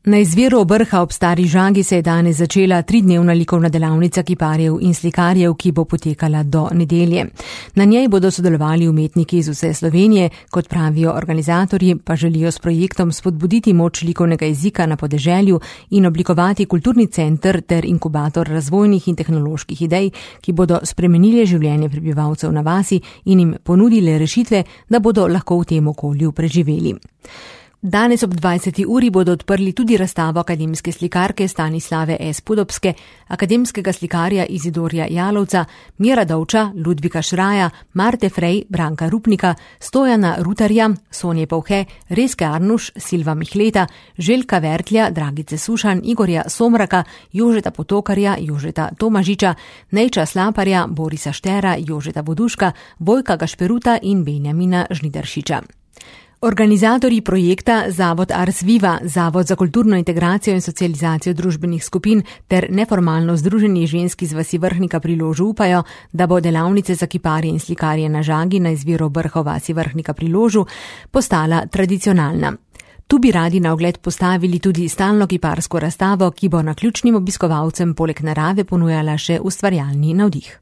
Na izviru Brha ob Stari Žagi se je danes začela 3-dnevna likovna delavnica kiparjev in slikarjev, ki bo potekala do nedelje. Na njej bodo sodelovali umetniki iz vse Slovenije, kot pravijo organizatorji, pa želijo s projektom spodbuditi moč likovnega jezika na podeželju in oblikovati kulturni center ter inkubator razvojnih in tehnoloških idej, ki bodo spremenile življenje prebivalcev na vasi in jim ponudile rešitve, da bodo lahko v tem okolju preživeli. Danes ob 20. uri bodo odprli tudi razstavo akademske slikarke Stanislave S. Podobske, akademskega slikarja Izidorja Jalovca, Mira Dovča, Ludvika Šraja, Marte Frej, Branka Rupnika, Stojana Rutarja, Sonje Povhe, Reske Arnuš, Silva Mihleta, Željka Vertlja, Dragice Sušan, Igorja Somraka, Jožeta Potokarja, Jožeta Tomažiča, Nejča Slaparja, Borisa Štera, Jožeta Voduška, Vojka Gašperuta in Benjamina Žnidaršiča. Organizatorji projekta Zavod Ars Viva, Zavod za kulturno integracijo in socializacijo družbenih skupin ter neformalno združenje žensk iz vasi Vrhnika pri Ložu upajo, da bo delavnice za kiparje in slikarje na Žagi na izviru Brha v vasi Vrhnika pri Ložu postala tradicionalna. Tu bi radi na ogled postavili tudi stalno kiparsko razstavo, ki bo naključnim obiskovalcem poleg narave ponujala še ustvarjalni navdih.